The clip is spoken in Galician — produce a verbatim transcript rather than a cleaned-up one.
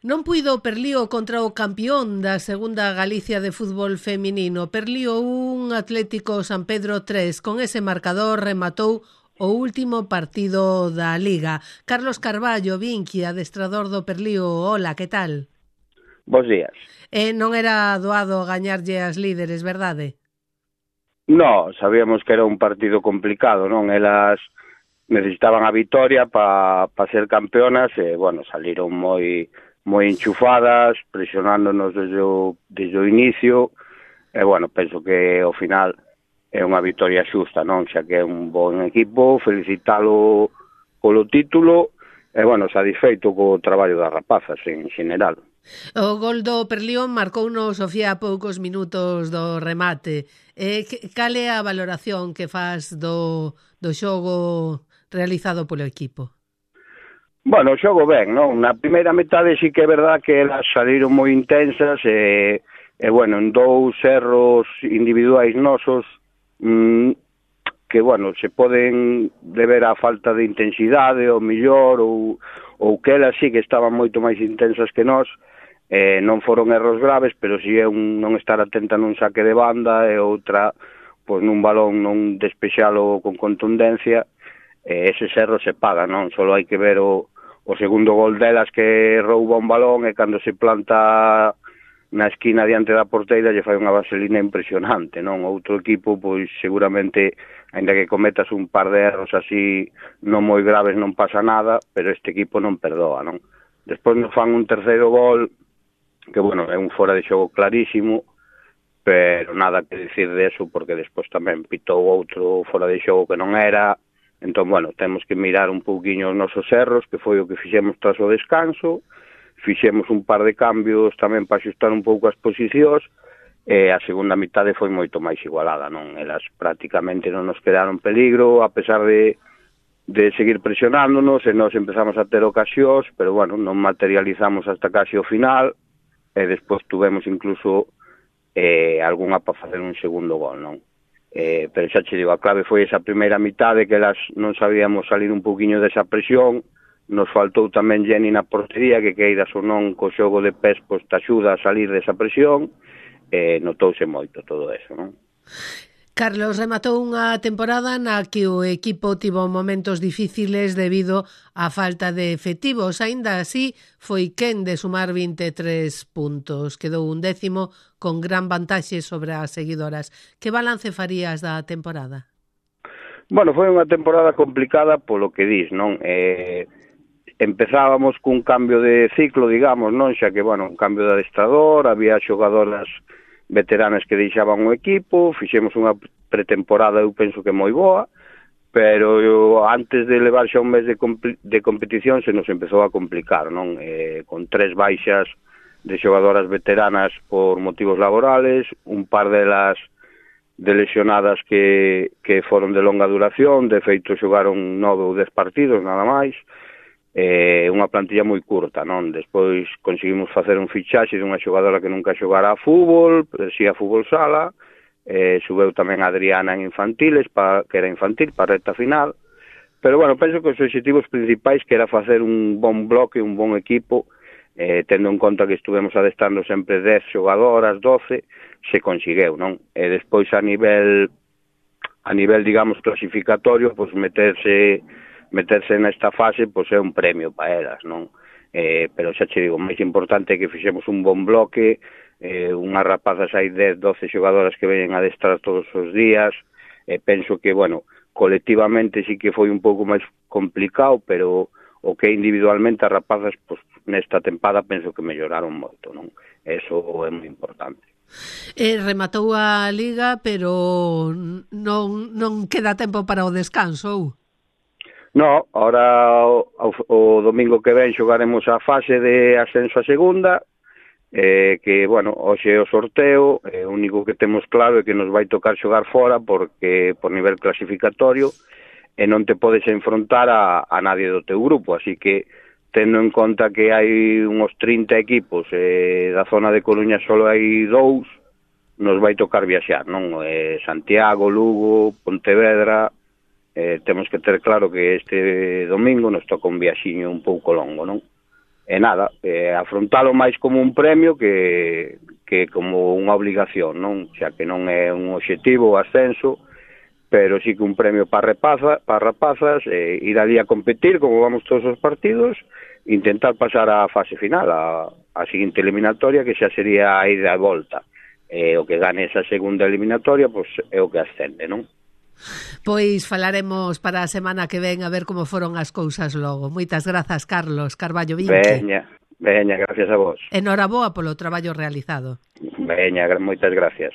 Non puido o Perlío contra o campeón da segunda Galicia de fútbol feminino. Perlío un, Atlético San Pedro tres. Con ese marcador rematou o último partido da Liga. Carlos Carballo, Vinqui, adestrador do Perlío. Hola, que tal? Bos días. E non era doado gañarlle as líderes, verdade? No, sabíamos que era un partido complicado, non? Elas necesitaban a vitoria para pa ser campeonas e, bueno, saliron moi moi enchufadas, presionándonos desde o, desde o inicio, e, bueno, penso que ao final é unha vitoria xusta, non? Xa que é un bon equipo, felicitalo polo título, e, bueno, satisfeito co traballo das rapazas en general. O gol do Perlío marcouno Sofía a poucos minutos do remate. E cal é a valoración que faz do, do xogo realizado polo equipo? Bueno, o xogo ben, non? Na primeira metade sí que é verdad que elas saliron moi intensas e, e bueno, en dous erros individuais nosos mmm, que, bueno, se poden deber á falta de intensidade ou millor ou, ou que elas sí que estaban moito máis intensas que nós. Eh, non foron erros graves, pero si é un non estar atenta nun saque de banda e outra, pois nun balón non despexalo con contundencia, eh, eses erros se pagan, non? Solo hai que ver o, o segundo gol delas que rouba un balón e cando se planta na esquina diante da porteira lle fai unha vaselina impresionante, non? Outro equipo, pois seguramente, ainda que cometas un par de erros así non moi graves non pasa nada, pero este equipo non perdoa, non? Despois nos fan un terceiro gol que, bueno, é un fora de xogo clarísimo, pero nada que dicir de eso, porque despois tamén pitou outro fora de xogo que non era. Entón, bueno, temos que mirar un pouquiño os nosos erros, que foi o que fixemos tras o descanso, fixemos un par de cambios tamén para xustar un pouco as posicións, e a segunda mitade foi moito máis igualada, non? Elas prácticamente non nos quedaron peligro, a pesar de de seguir presionándonos, e nós empezamos a ter ocasións, pero, bueno, non materializamos hasta casi o final, e despois tuvemos incluso eh, algunha para facer un segundo gol, non? Eh, pero xa che digo, a clave foi esa primeira mitade que elas non sabíamos salir un pouquiño desa presión, nos faltou tamén Jenny na portería, que queiras ou non co xogo de pés, pois te axuda a salir desa presión, e eh, notouse moito todo eso, non? Carlos, rematou unha temporada na que o equipo tivo momentos difíciles debido á falta de efectivos. Aínda así, foi quen de sumar vinte e tres puntos. Quedou un décimo con gran vantaxe sobre as seguidoras. Que balance farías da temporada? Bueno, foi unha temporada complicada polo que dis, non? Eh, empezábamos cun cambio de ciclo, digamos, non? Xa que, bueno, un cambio de adestrador, había xogadoras veteranas que deixaban o equipo, fixemos unha pretemporada, eu penso que moi boa, pero eu, antes de levar xa un mes de, de competición se nos empezou a complicar, non? Eh, con tres baixas de xogadoras veteranas por motivos laborales, un par delas de lesionadas que, que foron de longa duración, de feito xogaron nove ou dez partidos, nada máis, eh, unha plantilla moi curta, non? Despois conseguimos facer un fichaxe dunha xogadora que nunca xogara a fútbol, pero si a fútbol sala, eh, subeu tamén a Adriana en infantiles, pa, que era infantil, para a recta final, pero, bueno, penso que os objetivos principais que era facer un bon bloque, un bon equipo, eh, tendo en conta que estuvemos adestando sempre dez xogadoras, doce, se consegueu, non? E despois a nivel, a nivel, digamos, clasificatorio, pois meterse... meterse nesta fase, pois é un premio para elas, non? Eh, pero xa che digo, máis importante é que fixemos un bon bloque, eh, unhas rapazas hai dez, doce xogadoras que veñen a adestrar todos os días, e eh, penso que, bueno, colectivamente sí que foi un pouco máis complicado, pero o que individualmente as rapazas, pois, nesta tempada penso que melloraron moito, non? Eso é moi importante. Eh, rematou a Liga, pero non, non queda tempo para o descanso, ou? No, ahora o, o domingo que ven xogaremos a fase de ascenso a segunda, eh, que, bueno, hoxe é o sorteo, eh, o único que temos claro é que nos vai tocar xogar fora porque por nivel clasificatorio e non te podes enfrontar a, a nadie do teu grupo, así que tendo en conta que hai uns trinta equipos, eh, da zona de Coruña só hai dous, nos vai tocar viaxar, non? Eh, Santiago, Lugo, Pontevedra... Eh, temos que ter claro que este domingo nos toca un viaxiño un pouco longo, non? e nada, eh, afrontalo máis como un premio que, que como unha obligación, non? Xa que non é un obxectivo o ascenso, pero sí que un premio para rapaza, para rapazas, eh, ir ali a competir como vamos todos os partidos, intentar pasar á fase final, a, a seguinte eliminatoria, que xa sería a ida e volta. Eh, o que gane esa segunda eliminatoria, pois é o que ascende, non? Pois falaremos para a semana que ven a ver como foron as cousas logo. Moitas grazas, Carlos Carballo Vinque. Veña, veña, gracias a vos. Enhoraboa polo traballo realizado. Veña, moitas gracias.